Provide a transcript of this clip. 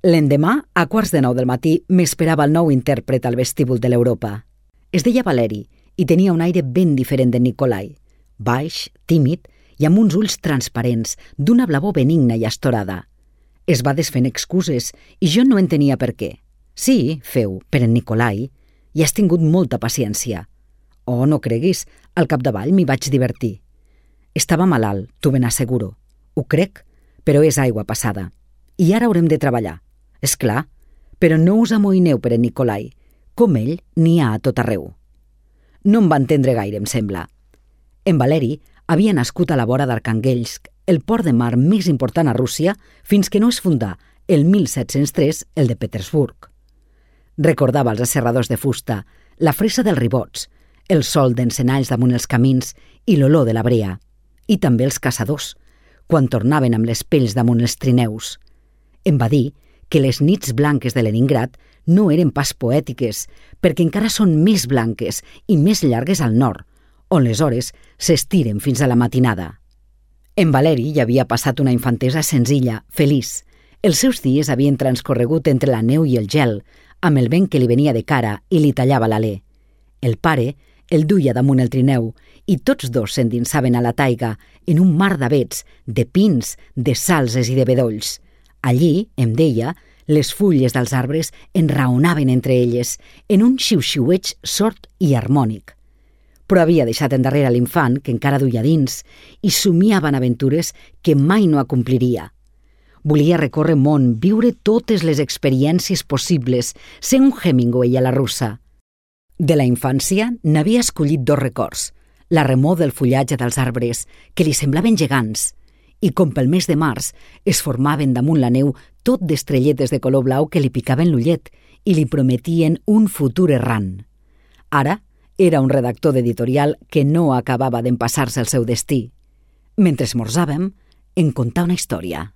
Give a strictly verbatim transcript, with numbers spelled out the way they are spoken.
L'endemà, a quarts de nou del matí, m'esperava el nou intèrpret al vestíbul de l'Europa. Es deia Valeri i tenia un aire ben diferent de Nikolai, baix, tímid i amb uns ulls transparents d'una blavor benigna i astorada. Es va desfent excuses i jo no entenia per què. Sí, feu, per en Nikolai, i has tingut molta paciència. Oh, no creguis, al capdavall m'hi vaig divertir. Estava malalt, t'ho ben asseguro. Ho crec, però és aigua passada. I ara haurem de treballar. És clar, però no us amoïneu per en Nikolai. Com ell, n'hi ha a tot arreu. No em va entendre gaire, em sembla. En Valeri havia nascut a la vora d'Arkhangelsk, el port de mar més important a Rússia, fins que no es fundà, el mil set-cents tres, el de Petersburg. Recordava els asserradors de fusta, la fressa dels ribots, el sol d'encenalls damunt els camins i l'olor de la brea, i també els caçadors, quan tornaven amb les pells damunt els trineus. Em va dir que les nits blanques de Leningrad no eren pas poètiques, perquè encara són més blanques i més llargues al nord, on les hores s'estiren fins a la matinada. En Valeri hi havia passat una infantesa senzilla, feliç. Els seus dies havien transcorregut entre la neu i el gel, amb el vent que li venia de cara i li tallava l'alè. El pare el duia damunt el trineu i tots dos s'endinsaven a la taiga en un mar d'avets, de pins, de salses i de bedolls. Allí, em deia, les fulles dels arbres enraonaven entre elles en un xiu-xiueig sord i harmònic. Però havia deixat endarrere l'infant, que encara duia dins, i somiava en aventures que mai no acompliria. Volia recórrer món, viure totes les experiències possibles, ser un Hemingway a la russa. De la infància n'havia escollit dos records, la remor del fullatge dels arbres, que li semblaven gegants, i com pel mes de març es formaven damunt la neu tot d'estrelletes de color blau que li picaven l'ullet i li prometien un futur errant. Ara era un redactor d'editorial que no acabava d'empassar-se el seu destí. Mentre esmorzàvem, em contà una història.